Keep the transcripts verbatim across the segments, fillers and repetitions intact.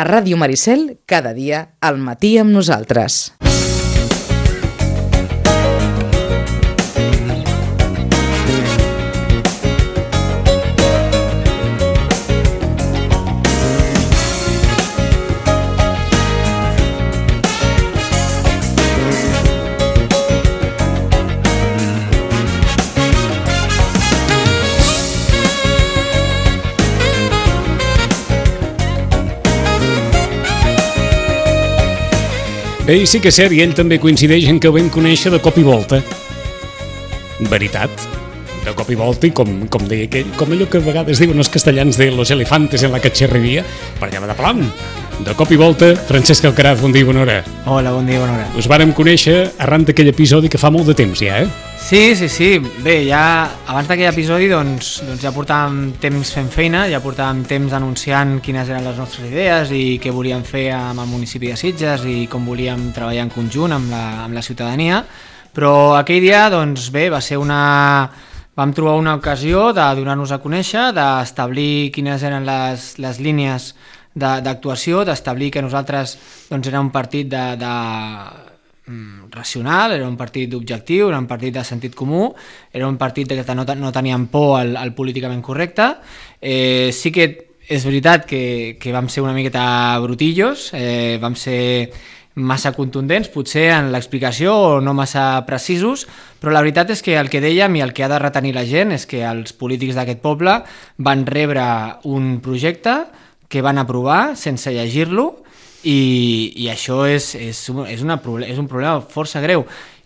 A Ràdio Maricel, cada dia, al matí amb nosaltres. Ell sí que és cert, i ell també coincideix en que ho vam conèixer de cop i volta. Veritat, de cop i volta, i com, com deia aquell, com allò que a vegades diuen els castellans de los elefantes en la cacharreria, per allà de plam. De cop i volta, Francesc Alcaraz, bon dia i bona hora. Hola, bon dia i bona hora. Us vàrem conèixer arran d'aquell episodi que fa molt de temps ja, eh? Sí, sí, sí. Bé, ja abans d'aquell episodi doncs, doncs ja portàvem temps fent feina, ja portàvem temps anunciant quines eren les nostres idees i què volíem fer amb el municipi de Sitges i com volíem treballar en conjunt amb la, amb la ciutadania, però aquell dia, doncs bé, va ser una... vam trobar una ocasió de donar-nos a conèixer, d'establir quines eren les, les línies d'actuació, d'establir que nosaltres doncs, era un partit de... de racional, era un partit objectiu, era un partit de sentit comú, era un partit que no, no teníem por al, al políticament correcte. Eh, sí que és veritat que, que vam ser una miqueta brutillos, eh, vam ser massa contundents, potser en l'explicació o no massa precisos, però la veritat és que el que dèiem i el que ha de retenir la gent és que els polítics d'aquest poble van rebre un projecte que van aprovar sense llegir-lo, I, i això és, és, és, una, és un problema força greu.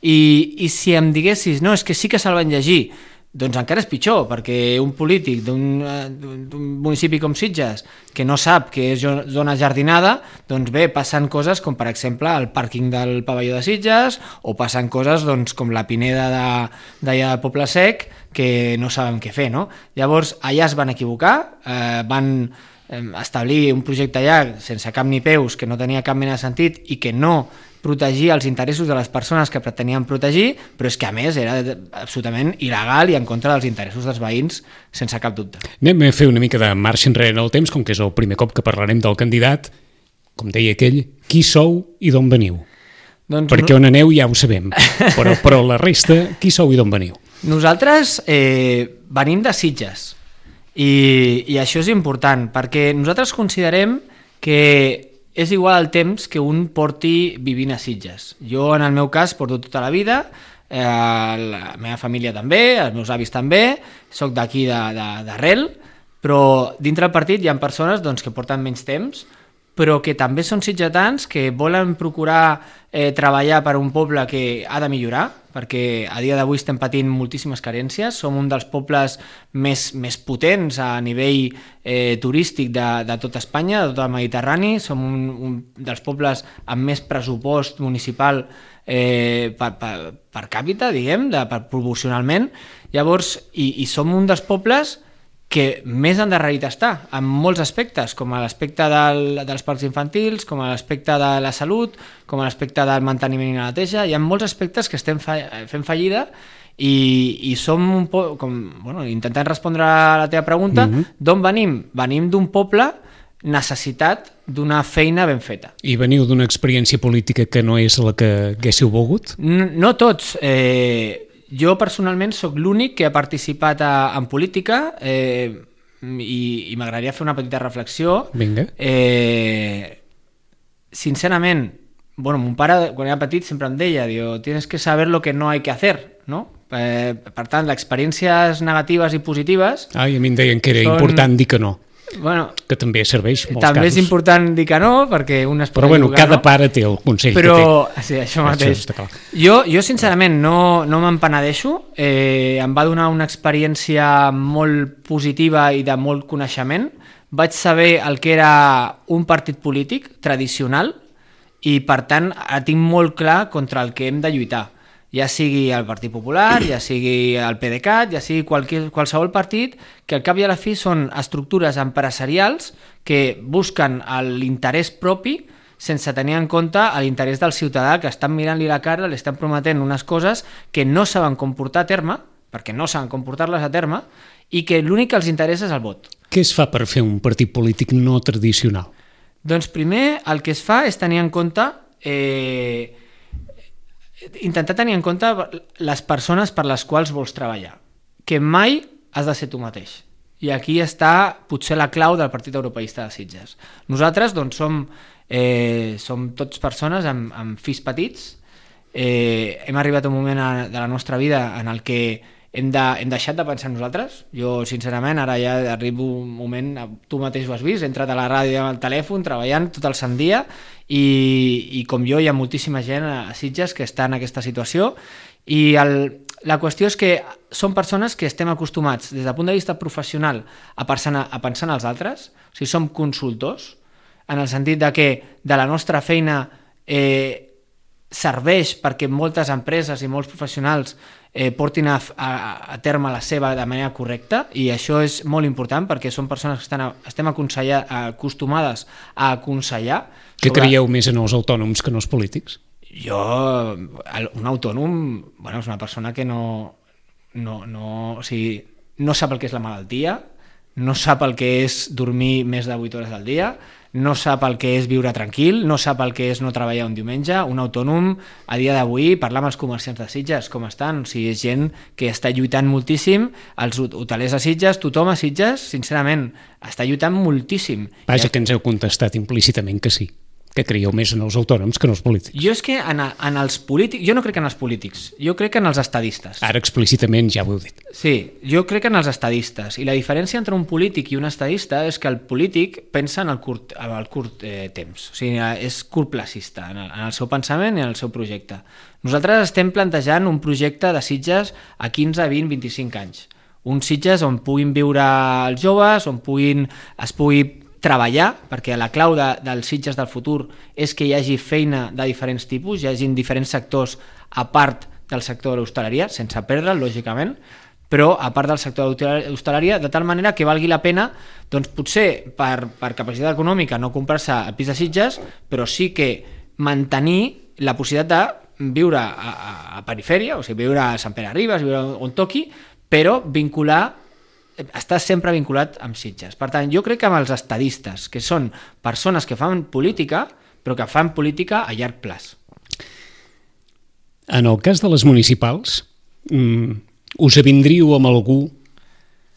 I, I si em diguessis, no, és que sí que se'l van llegir, doncs encara és pitjor, perquè un polític d'un municipi com Sitges que no sap que és zona jardinada, doncs bé, passen coses com per exemple el pàrquing del pavelló de Sitges, o passen coses doncs, com la Pineda d'allà de Poble Sec, que no sabem què fer, no? Llavors, allà es van equivocar, eh, van... establir un projecte allà sense cap ni peus, que no tenia cap mena de sentit i que no protegia els interessos de les persones que pretenien protegir, però és que a més era absolutament il·legal i en contra dels interessos dels veïns, sense cap dubte. Anem a fer una mica de marxa enrere en el temps, com que és el primer cop que parlarem del candidat. Com deia aquell, qui sou i d'on veniu? Doncs perquè on aneu ja ho sabem, però, però la resta, qui sou i d'on veniu? Nosaltres eh, venim de Sitges. I, i això és important, perquè nosaltres considerem que és igual el temps que un porti vivint a Sitges. Jo, en el meu cas, porto tota la vida, eh, la meva família també, els meus avis també, soc d'aquí d'arrel, però dintre del partit hi ha persones doncs, que porten menys temps, però que també són sitgetans que volen procurar eh, treballar per un poble que ha de millorar, perquè a dia d'avui estem patint moltíssimes carències, som un dels pobles més, més potents a nivell eh, turístic de, de tot Espanya, de tot el Mediterrani, som un, un dels pobles amb més pressupost municipal eh, per, per, per càpita, diguem, de, per, proporcionalment, llavors, i, i som un dels pobles que més endarrerit està, en molts aspectes, com a l'aspecte del, dels parcs infantils, com a l'aspecte de la salut, com a l'aspecte del manteniment i la neteja. Hi ha molts aspectes que estem fa, fent fallida i, i som un po... Com, bueno, intentant respondre a la teva pregunta, mm-hmm. D'on venim? Venim d'un poble necessitat d'una feina ben feta. I veniu d'una experiència política que no és la que haguéssiu volgut? No, no tots. Eh... Jo personalment sóc l'únic que ha participat a, en política eh, i, i m'agradaria fer una petita reflexió. Vinga. Eh, sincerament, bueno, mon pare quan era petit sempre em deia, diu, tienes que saber lo que no hay que hacer, no? Eh, per tant, les experiències negatives i positives... Ah, i a mi em deien que era són... important dir que no. Bueno, que també serveix molts també casos. És important dir que no, perquè un es pot però bueno, equivocar, cada no? pare té el consell però, que té. Sí, això mateix. Això jo, jo sincerament no, no m'empenedeixo, eh, em va donar una experiència molt positiva i de molt coneixement. Vaig saber el que era un partit polític tradicional i per tant tinc molt clar contra el que hem de lluitar. Ja sigui el Partit Popular, ja sigui el PDeCAT, ja sigui qualsevol, qualsevol partit, que al cap i a la fi són estructures empresarials que busquen l'interès propi sense tenir en compte l'interès del ciutadà, que estan mirant-li la cara, li estan prometent unes coses que no saben com portar a terme, perquè no saben com portar-les a terme, i que l'únic que els interessa és el vot. Què es fa per fer un partit polític no tradicional? Doncs primer el que es fa és tenir en compte, eh, intentar tenir en compte les persones per les quals vols treballar, que mai has de ser tu mateix. I aquí està potser la clau del Partit Europeista de Sitges. Nosaltres doncs, som, eh, som tots persones amb, amb fills petits. Eh, hem arribat a un moment de la nostra vida en el que hem, de, hem deixat de pensar en nosaltres. Jo, sincerament, ara ja arribo un moment, tu mateix ho has vist, he entrat a la ràdio amb el telèfon, treballant tot el sant dia, i, i com jo hi ha moltíssima gent a Sitges que està en aquesta situació, i el, la qüestió és que són persones que estem acostumats, des del punt de vista professional, a pensar, a pensar en els altres. O sigui, som consultors, en el sentit de que de la nostra feina eh, serveix perquè moltes empreses i molts professionals eh, portin a, a, a terme la seva de manera correcta, i això és molt important perquè són persones que estan a, estem acostumades a aconsellar. Què sobre... creieu més en els autònoms que en els polítics? Jo, un autònom, bueno, és una persona que no, no, no, o sigui, no sap el que és la malaltia, no sap el que és dormir més de vuit hores al dia, no sap el que és viure tranquil, no sap el que és no treballar un diumenge. Un autònom, a dia d'avui, parlar amb els comerciants de Sitges, com estan? O sigui, és gent que està lluitant moltíssim, els hotelers a Sitges, tothom a Sitges, sincerament, està lluitant moltíssim. Vaja, que ens heu contestat implícitament que sí, que creieu més en els autònoms que en els polítics. Jo és que en, en els polítics, jo no crec en els polítics, jo crec en els estadistes. Ara explícitament ja ho heu dit. Sí, jo crec en els estadistes, i la diferència entre un polític i un estadista és que el polític pensa en el curt, en el curt eh, temps, o sigui, és curtplacista en el, en el seu pensament i en el seu projecte. Nosaltres estem plantejant un projecte de Sitges a quinze, vint, vint-i-cinc anys. Un Sitges on puguin viure els joves, on puguin, es pugui treballar, perquè la clau de, dels Sitges del futur és que hi hagi feina de diferents tipus, hi hagi diferents sectors a part del sector de l'hostaleria, sense perdre'l, lògicament, però a part del sector de l'hostaleria, de tal manera que valgui la pena, doncs potser per, per capacitat econòmica no comprar-se el pis de Sitges, però sí que mantenir la possibilitat de viure a, a, a perifèria, o sigui, viure a Sant Pere Ribes, viure on toqui, però vincular està sempre vinculat amb Sitges. Per tant, jo crec que amb els estadistes, que són persones que fan política, però que fan política a llarg plaç. En el cas de les municipals, us avindríeu amb algú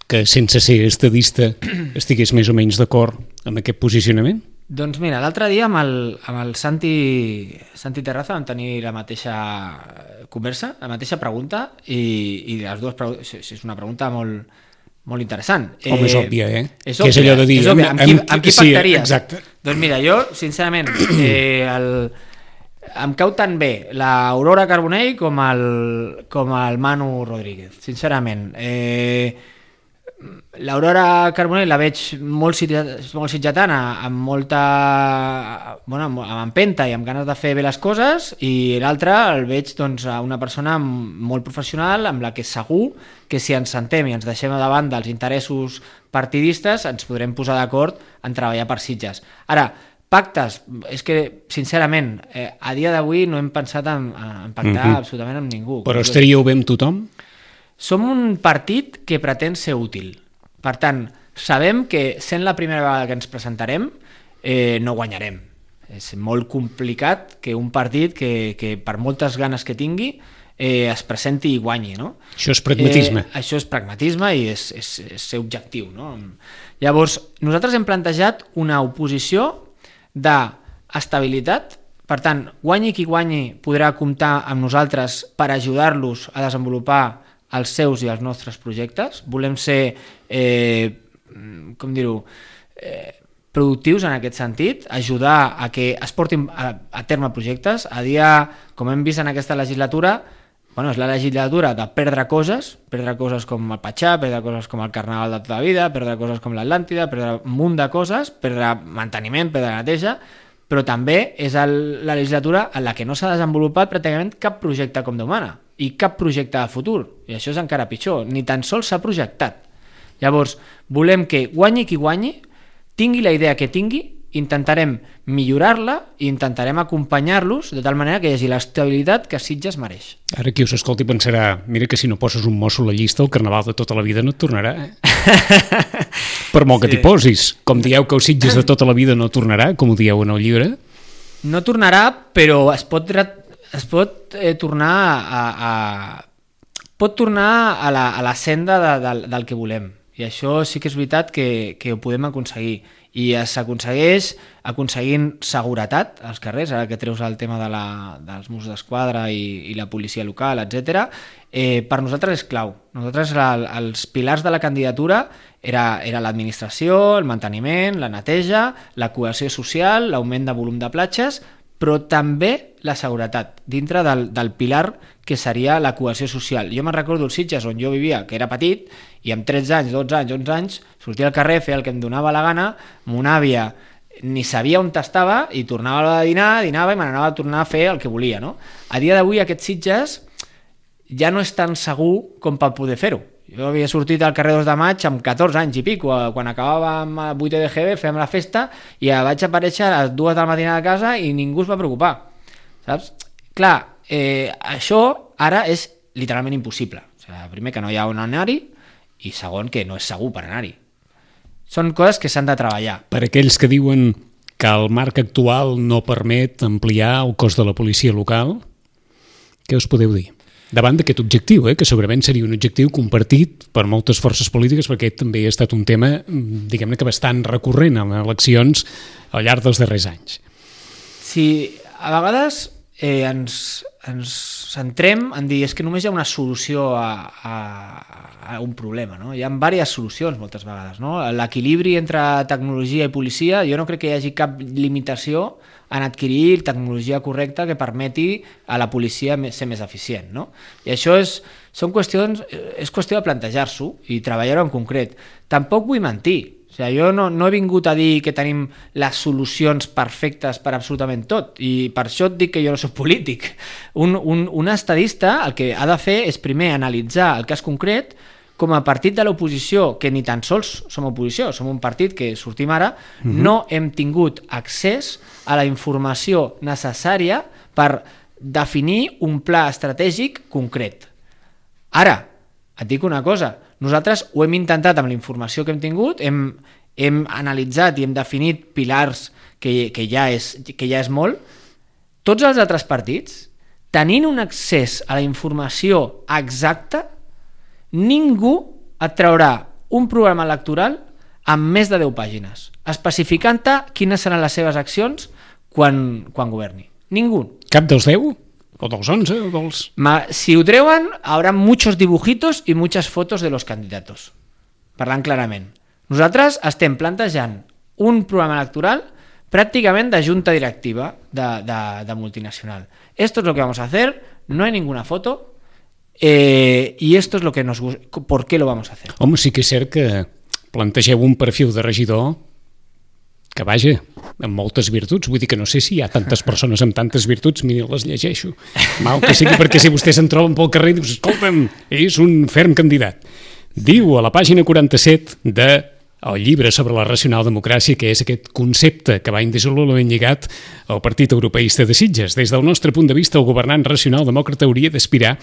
que, sense ser estadista, estigués més o menys d'acord amb aquest posicionament? Doncs mira, l'altre dia amb el, amb el Santi, Santi Terraza vam tenir la mateixa conversa, la mateixa pregunta, i, i les dues preguntes, és una pregunta molt... molt interessant. Home, és òbvia, eh? És òbvia, que és allò de dir... És òbvia. Amb, amb, qui, amb qui pactaries? Sí, exacte. Doncs mira, jo, sincerament, eh, el, em cau tan bé l'Aurora Carbonell com el, com el Manu Rodríguez, sincerament. Eh, L'Aurora Carbonell la veig molt, molt sitgetana, amb molta... Bueno, amb empenta i amb ganes de fer bé les coses, i l'altre el veig doncs, a una persona molt professional, amb la que segur que si ens sentem i ens deixem de banda els interessos partidistes ens podrem posar d'acord en treballar per Sitges. Ara, pactes, és que sincerament eh, a dia d'avui no hem pensat en, en pactar mm-hmm. absolutament amb ningú. Però estaríeu bé amb tothom? Som un partit que pretén ser útil. Per tant, sabem que sent la primera vegada que ens presentarem eh, no guanyarem. És molt complicat que un partit que, que per moltes ganes que tingui eh, es presenti i guanyi, no? Això és pragmatisme. Eh, això és pragmatisme i és, és, és ser objectiu, no? Llavors, nosaltres hem plantejat una oposició d'estabilitat. Per tant, guanyi qui guanyi podrà comptar amb nosaltres per ajudar-los a desenvolupar els seus i els nostres projectes. Volem ser, eh, com dir-ho, eh, productius en aquest sentit, ajudar a que es portin a, a terme projectes. A dia, com hem vist en aquesta legislatura, bueno, és la legislatura de perdre coses, perdre coses com el Patxà, perdre coses com el Carnaval de tota la vida, perdre coses com l'Atlàntida, perdre un munt de coses, perdre manteniment, perdre neteja, però també és el, la legislatura en la que no s'ha desenvolupat pràcticament cap projecte com Déu mana i cap projecte de futur, i això és encara pitjor, ni tan sols s'ha projectat. Llavors, volem que guanyi qui guanyi, tingui la idea que tingui, intentarem millorar-la i intentarem acompanyar-los de tal manera que hi hagi l'estabilitat que Sitges mereix. Ara qui us escolti pensarà, mira que si no poses un mosso a la llista el carnaval de tota la vida no et tornarà. Eh? Per molt que sí. T'hi posis. Com dieu que els Sitges de tota la vida no tornarà, com ho dieu en el llibre. No tornarà, però es pot, es pot eh, tornar a, a, pot tornar a la, a la senda de, de, del que volem. I això sí que és veritat que, que ho podem aconseguir. I s'aconsegueix aconseguint seguretat als carrers, ara que treus el tema de la, dels Mossos d'Esquadra i, i la policia local, etcètera. Eh, per nosaltres és clau. Nosaltres el, els pilars de la candidatura era, era l'administració, el manteniment, la neteja, la cohesió social, l'augment de volum de platges, però també la seguretat, dintre del, del pilar que seria la cohesió social. Jo me'n recordo els Sitges on jo vivia, que era petit, i amb tretze anys, dotze anys, onze anys, sortia al carrer, feia el que em donava la gana, mon àvia ni sabia on estava i tornava a dinar, dinava i me n'anava a tornar a fer el que volia. No? A dia d'avui aquests Sitges ja no és tan segur com per poder fer-ho. Jo havia sortit al carrer dos de maig amb catorze anys i pico, quan acabàvem a vuitè de G B, fèiem la festa i vaig aparèixer a les dues del matí a casa i ningú es va preocupar. Saps? Clar, eh, això ara és literalment impossible. O sigui, primer, que no hi ha on anar-hi, i segon, que no és segur per anar-hi. Són coses que s'han de treballar. Per aquells que diuen que el marc actual no permet ampliar el cos de la policia local, què us podeu dir? Davant d'aquest objectiu, eh, que segurament seria un objectiu compartit per moltes forces polítiques, perquè també ha estat un tema, diguem-ne que bastant recurrent en eleccions al llarg dels darrers anys. Sí, a vegades eh, ens, ens centrem en dir és que només hi ha una solució a, a, a un problema, no? Hi ha diverses solucions moltes vegades, no? L'equilibri entre tecnologia i policia, jo no crec que hi hagi cap limitació en adquirir tecnologia correcta que permeti a la policia ser més eficient, no? I això és, són qüestions, és qüestió de plantejar-s'ho i treballar-ho en concret. Tampoc vull mentir. O sigui, jo no, no he vingut a dir que tenim les solucions perfectes per absolutament tot, i per això et dic que jo no soc polític. Un, un, un estadista el que ha de fer és primer analitzar el cas concret. Com a partit de l'oposició, que ni tan sols som oposició, som un partit que sortim ara, uh-huh. no hem tingut accés a la informació necessària per definir un pla estratègic concret. Ara, et dic una cosa, nosaltres ho hem intentat amb la informació que hem tingut, hem, hem analitzat i hem definit pilars que, que, ja és, que ja és molt. Tots els altres partits, tenint un accés a la informació exacta, ningú et traurà un programa electoral amb més de deu pàgines, especificant-te quines seran les seves accions quan, quan governi. Ningú. Cap dels deu? O dels onze? O dels... Ma, si ho treuen, haurà muchos dibujitos i muchas fotos de los candidatos. Parlant clarament. Nosaltres estem plantejant un programa electoral pràcticament de junta directiva de, de, de multinacional. Esto es lo que vamos a hacer, no hay ninguna foto, Eh, i esto es lo que nos gusta. ¿Por qué lo vamos a hacer? Home, sí que és cert que plantegeu un perfil de regidor que, vaja, amb moltes virtuts. Vull dir que no sé si hi ha tantes persones amb tantes virtuts, mira, les llegeixo. Mal que sigui, perquè si vostès se'n troben pel carrer i dius, escolta'm, és un ferm candidat. Diu a la pàgina quaranta-set de el llibre sobre la racional democràcia, que és aquest concepte que va indissolublement lligat al Partit Europeista de Sitges. Des del nostre punt de vista, el governant racional demòcrata hauria d'aspirar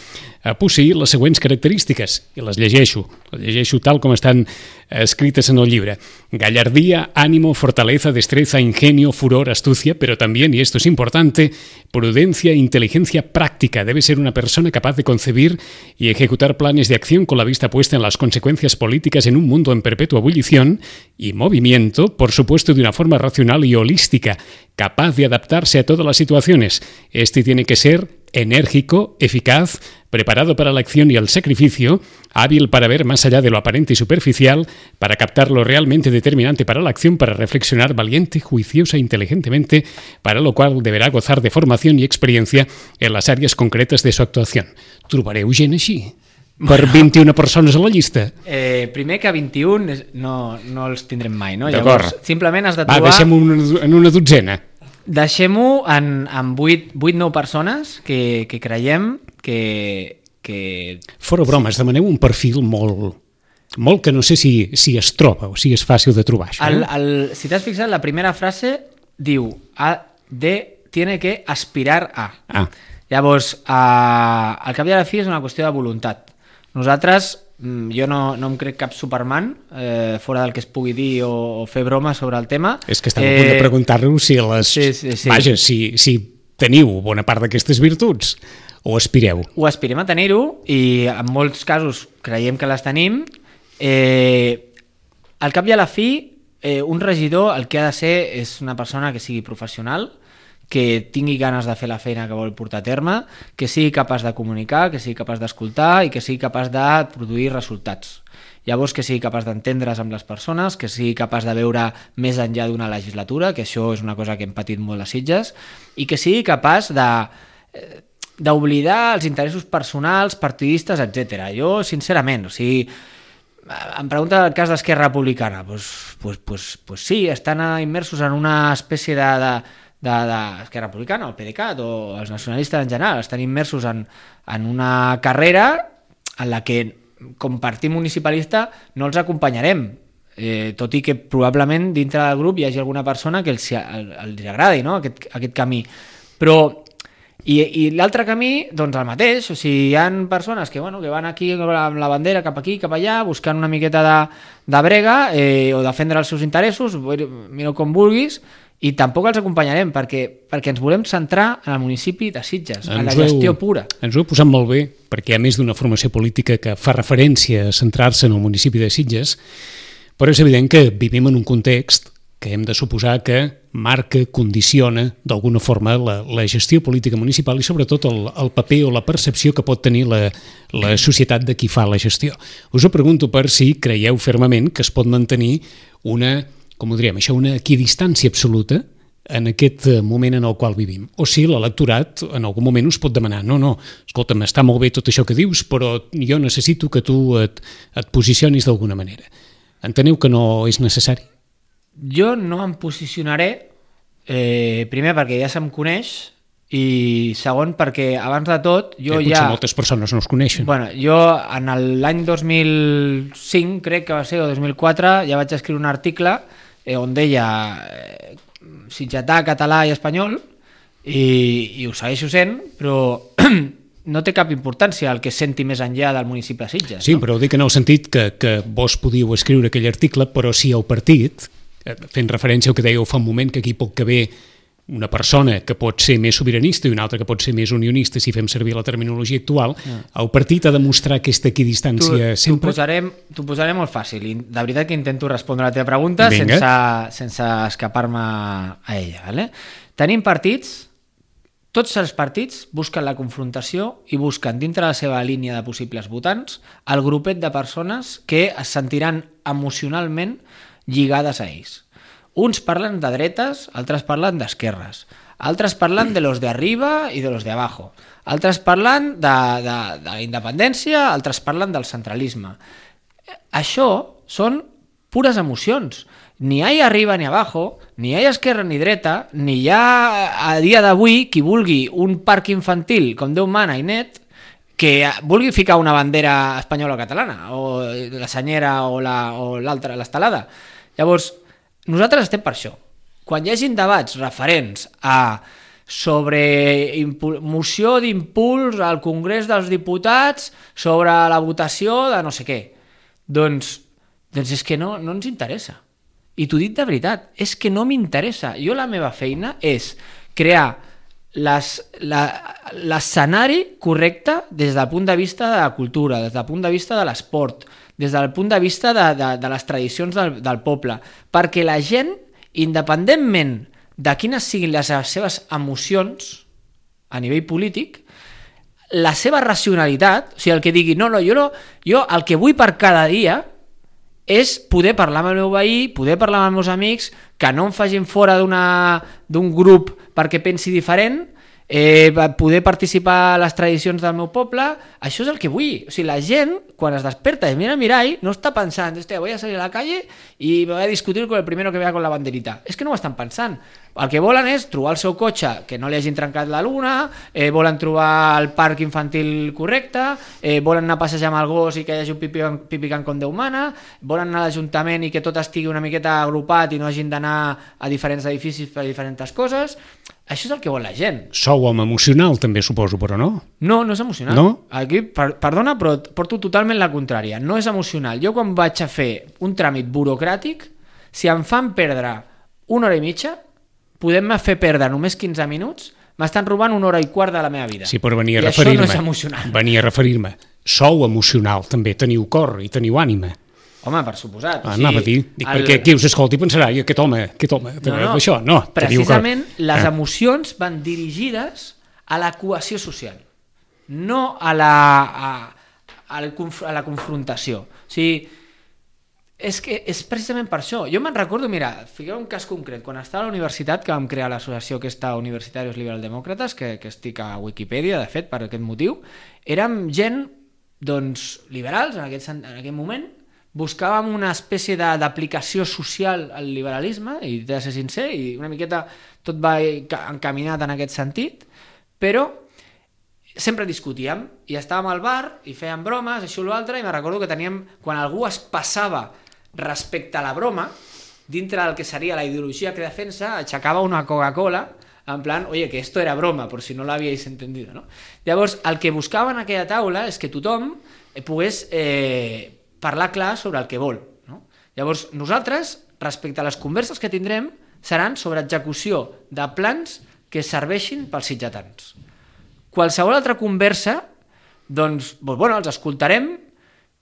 a posseir les següents característiques, i les llegeixo, les llegeixo tal com estan escrites en el llibre. Gallardía, ánimo, fortaleza, destreza, ingenio, furor, astucia, pero también, y esto es importante, prudencia e inteligencia práctica. Debe ser una persona capaz de concebir y ejecutar planes de acción con la vista puesta en las consecuencias políticas en un mundo en perpetua ebullición y movimiento, por supuesto de una forma racional y holística, capaz de adaptarse a todas las situaciones. Este tiene que ser enérgico, eficaz, preparado para la acción y el sacrificio, hábil para ver más allá de lo aparente y superficial, para captar lo realmente determinante para la acción, para reflexionar valiente, juiciosa e inteligentemente, para lo cual deberá gozar de formación y experiencia en las áreas concretas de su actuación. Trobareu gent així? Per vint-i-una persones a la llista? Eh, primer que vint-i-un no, no els tindrem mai, no? D'acord. Llavors, simplement has de trobar... Va, deixem-ho en una dotzena. Deixem-ho en, en vuit nou persones que, que creiem que, que... Fora bromes, demaneu un perfil molt molt que no sé si, si es troba o si és fàcil de trobar això. El, el, si t'has fixat, la primera frase diu a, de, tiene que aspirar a. Ah. Llavors, eh, al cap i a la fi és una qüestió de voluntat. Nosaltres, jo no, no em crec cap Superman, eh, fora del que es pugui dir o, o fer broma sobre el tema. És que estava eh... a punt de preguntar-vos si les... Sí, sí, sí. Vaja, si, si teniu bona part d'aquestes virtuts o aspireu. Ho aspirem a tenir-ho i en molts casos creiem que les tenim. Eh, al cap i a la fi, eh, un regidor el que ha de ser és una persona que sigui professional, que tingui ganes de fer la feina que vol portar a terme, que sigui capaç de comunicar, que sigui capaç d'escoltar i que sigui capaç de produir resultats. Llavors, que sigui capaç d'entendre's amb les persones, que sigui capaç de veure més enllà d'una legislatura, que això és una cosa que hem patit molt a Sitges, i que sigui capaç de d'oblidar els interessos personals, partidistes, etcètera. Jo, sincerament, o sigui, em pregunta el cas d'Esquerra Republicana, doncs, pues, pues, pues sí, estan immersos en una espècie de... de d'Esquerra Republicana, el PDeCAT o els nacionalistes en general, estan immersos en, en una carrera en la que, com partit municipalista, no els acompanyarem, eh, tot i que probablement dintre del grup hi hagi alguna persona que els, els agradi, no? aquest, aquest camí. Però, i, i l'altre camí, doncs el mateix, o sigui, hi ha persones que, bueno, que van aquí amb la bandera cap aquí, cap allà, buscant una miqueta de, de brega eh, o defendre els seus interessos, mira com vulguis, i tampoc els acompanyarem perquè, perquè ens volem centrar en el municipi de Sitges, en la gestió heu, pura. Ens ho heu posat molt bé, perquè hi ha més d'una formació política que fa referència a centrar-se en el municipi de Sitges, però és evident que vivim en un context que hem de suposar que marca, condiciona d'alguna forma la, la gestió política municipal i sobretot el, el paper o la percepció que pot tenir la, la societat de qui fa la gestió. Us ho pregunto per si creieu fermament que es pot mantenir una... com ho diríem, això, una equidistància absoluta en aquest moment en el qual vivim. O si l'electorat en algun moment us pot demanar no, no, escolta'm, està molt bé tot això que dius, però jo necessito que tu et, et posicionis d'alguna manera. Enteneu que no és necessari? Jo no em posicionaré, eh, primer perquè ja se'm coneix, i segon perquè abans de tot jo que ja... Potser moltes persones no es coneixen. Bueno, jo en l'any dos mil cinc, crec que va ser, o dos mil quatre, ja vaig escriure un article eh, on deia eh, sitgetà, català i espanyol, i, i ho segueixo sent, però no té cap importància el que senti més enllà del municipi de Sitges. Sí, no? però ho dic en el sentit que, que vos podíeu escriure aquell article, però si el partit, fent referència al que dèieu fa un moment, que aquí pot caber una persona que pot ser més sobiranista i una altra que pot ser més unionista, si fem servir la terminologia actual, ja. El partit ha de mostrar aquesta equidistància sempre... T'ho posaré, posaré molt fàcil, i de veritat que intento respondre a la teva pregunta sense, sense escapar-me a ella. Vale? Tenim partits, tots els partits busquen la confrontació i busquen dintre la seva línia de possibles votants el grupet de persones que es sentiran emocionalment lligades a ells. Uns parlen de dretes, altres parlen d'esquerres, altres parlen de los de arriba i de los de abajo, altres parlen de, de, de la independència, altres parlen del centralisme. Això són pures emocions. Ni hi ha arriba ni abajo, ni hi ha esquerra ni dreta, ni hi ha a dia d'avui qui vulgui un parc infantil com Déu mana i net, que vulgui ficar una bandera espanyola o catalana, o la senyera o l'altra, l'estelada. Llavors, nosaltres estem per això. Quan hi hagi debats referents a sobre moció d'impuls al Congrés dels Diputats sobre la votació de no sé què, doncs, doncs és que no, no ens interessa. I t'ho dic de veritat, és que no m'interessa. Jo la meva feina és crear l'escenari correcte des del punt de vista de la cultura, des del punt de vista de l'esport, des del punt de vista de, de, de les tradicions del, del poble, perquè la gent, independentment de quines siguin les seves emocions a nivell polític, la seva racionalitat, o sigui, el que digui, no, no, jo, no, jo el que vull per cada dia és poder parlar amb el meu veí, poder parlar amb els meus amics, que no em facin fora d'un grup perquè pensi diferent, eh, poder participar a les tradicions del meu poble, Això és el que vull. O sigui, la gent, quan es desperta i mira el mirall, no està pensant, hòstia, voy a salir a la calle i voy a discutir con el primero que vea con la banderita. És que no ho estan pensant. El que volen és trobar el seu cotxe, que no li hagin trencat la luna, eh, volen trobar el parc infantil correcte, eh, volen anar a passejar amb el gos i que hi hagi un pipi, pipi can com Déu mana, volen anar a l'Ajuntament i que tot estigui una miqueta agrupat i no hagin d'anar a diferents edificis per diferents coses. Això és el que vol la gent. Sou home emocional, també, suposo, però no? No, no és emocional. No? Aquí, per, perdona, però porto totalment la contrària. No és emocional. Jo quan vaig a fer un tràmit burocràtic, si em fan perdre una hora i mitja, podem-me fer perdre només quinze minuts, m'estan robant una hora i quart de la meva vida. Sí, però venia a I referir-me. això no és emocional. Venia a referir-me. Sou emocional, també. Teniu cor i teniu ànima. Home, per suposat. Ah, anava a dir, dic, el... perquè qui us escolti pensarà, i aquest home, aquest home, no, no, això, no. Precisament les ah. emocions van dirigides a la cohesió social, no a la, a, a, a la confrontació. O sigui, és que és precisament per això. Jo me'n recordo, mira, fiqueu un cas concret, quan estava a la universitat, que vam crear l'associació aquesta Universitarios Liberal-Demòcrates, que, que estic a Wikipedia, de fet, per aquest motiu, érem gent, doncs, liberals en aquest, en aquest moment. Buscàvem una espècie d'aplicació social al liberalisme, i he de ser sincer, i una miqueta tot va encaminat en aquest sentit, però sempre discutíem, i estàvem al bar, i fèiem bromes, això o l'altre, i me recordo que teníem, quan algú es passava respecte a la broma, dintre del que seria la ideologia que defensa, aixecava una Coca-Cola, en plan, oye, que esto era broma, por si no l'havíais entendido, ¿no? Llavors, el que buscava en aquella taula és que tothom pogués... Eh, parlar clar sobre el que vol. No? Llavors, nosaltres, respecte a les converses que tindrem, seran sobre execució de plans que serveixin pels sitgetans. Qualsevol altra conversa, doncs, bueno, els escoltarem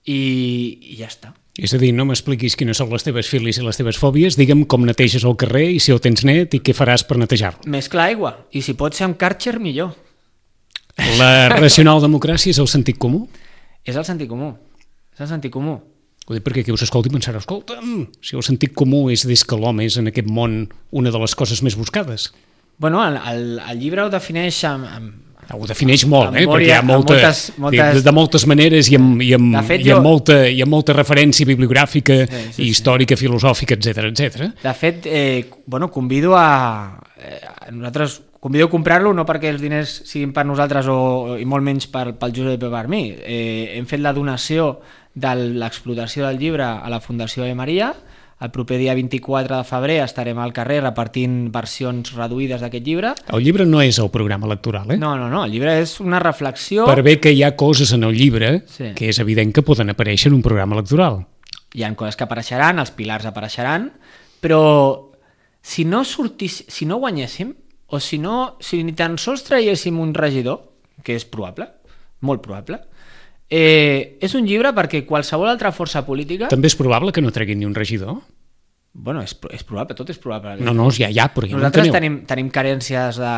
i, i ja està. És a dir, no m'expliquis quines són les teves filis i les teves fòbies, digue'm com neteges el carrer i si el tens net i què faràs per netejar-lo. Mesclar aigua, i si pot ser amb Kärcher, millor. La racional democràcia és el sentit comú? És el sentit comú. És el sentit comú. Ho dic perquè qui us escolti pensarà, escolta'm, si el sentit comú és des que l'home és en aquest món una de les coses més buscades. Bueno, el, el, el llibre ho defineix amb... amb ho defineix molt, amb eh? memòria, perquè hi ha molta, moltes, moltes... De, de moltes maneres i amb, i amb, fet, i amb, jo... molta, i amb molta referència bibliogràfica sí, sí, i històrica, sí. filosòfica, etcètera, etcètera. De fet, eh, bueno, convido a... Eh, a nosaltres convido a comprar-lo no perquè els diners siguin per nosaltres o, i molt menys per, pel Josep i per mi. Eh, hem fet la donació de l'explotació del llibre a la Fundació de Maria. El proper dia vint-i-quatre de febrer estarem al carrer repartint versions reduïdes d'aquest llibre. El llibre no és el programa electoral, eh? No, no, no. El llibre és una reflexió... Per bé que hi ha coses en el llibre sí. que és evident que poden aparèixer en un programa electoral. Hi ha coses que apareixeran, els pilars apareixeran, però si no sortís, si no guanyéssim, o si no, si ni tan sols traiéssim un regidor, que és probable, molt probable, eh, és un llibre perquè qualsevol altra força política... També és probable que no treguin ni un regidor? Bueno, és, és probable, tot és probable. No, no, ja, ja, però ja nosaltres no tenim, tenim carències de...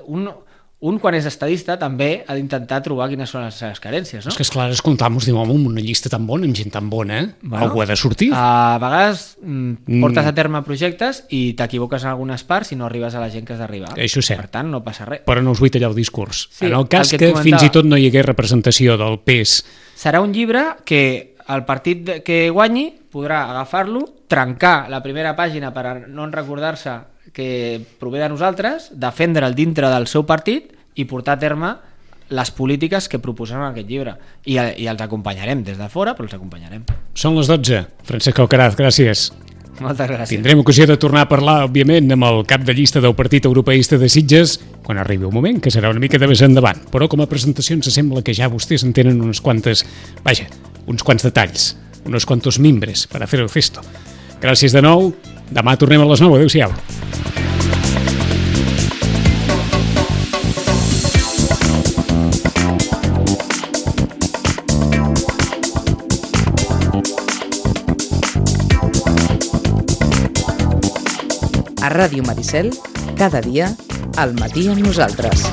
Un, un, quan és estadista, també ha d'intentar trobar quines són les seves carències, no? És que, esclar, escoltam-nos, diu, home, una llista tan bona, amb gent tan bona, eh? Bueno, algú ha de sortir. A vegades mm, portes a terme projectes i t'equivoques en algunes parts i no arribes a la gent que has d'arribar. Això és cert. Per tant, no passa res. Però no us vull tallar el discurs. Sí, en el cas el que, que fins i tot no hi hagués representació del P E S... Serà un llibre que el partit que guanyi podrà agafar-lo, trencar la primera pàgina per no recordar-se que prové de nosaltres, defendre'l dintre del seu partit i portar a terme les polítiques que proposem en aquest llibre. I, i els acompanyarem des de fora, però els acompanyarem. Són les dotze. Francesc Alcaraz, gràcies. Moltes gràcies. Tindrem ocasió de tornar a parlar, òbviament, amb el cap de llista del Partit Europeista de Sitges quan arribi un moment, que serà una mica de més endavant. Però com a presentació ens sembla que ja vostès en tenen unes quantes... Vaja, uns quants detalls, unos quantos mimbres per a fer el cesto. Gràcies de nou. Demà tornem a les nou. Adéu-siau. A Ràdio Maricel, cada dia, al matí amb nosaltres.